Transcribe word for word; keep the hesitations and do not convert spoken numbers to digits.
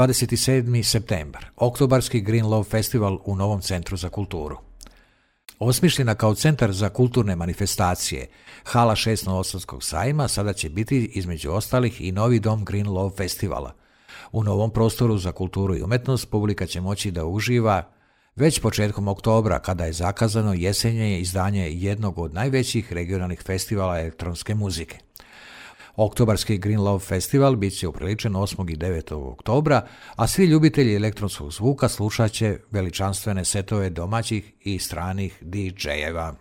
dvadeset sedmi septembar, oktobarski Green Love Festival u Novom centru za kulturu. Osmišljena kao centar za kulturne manifestacije, hala šest Novosadskog sajma sada će biti između ostalih i novi dom Green Love Festivala. U novom prostoru za kulturu i umetnost publika će moći da uživa već početkom oktobra, kada je zakazano jesenje izdanje jednog od najvećih regionalnih festivala elektronske muzike. Oktobarski Green Love Festival bit će upriličen osmog i devetog oktobra, a svi ljubitelji elektronskog zvuka slušat će veličanstvene setove domaćih i stranih D J-eva.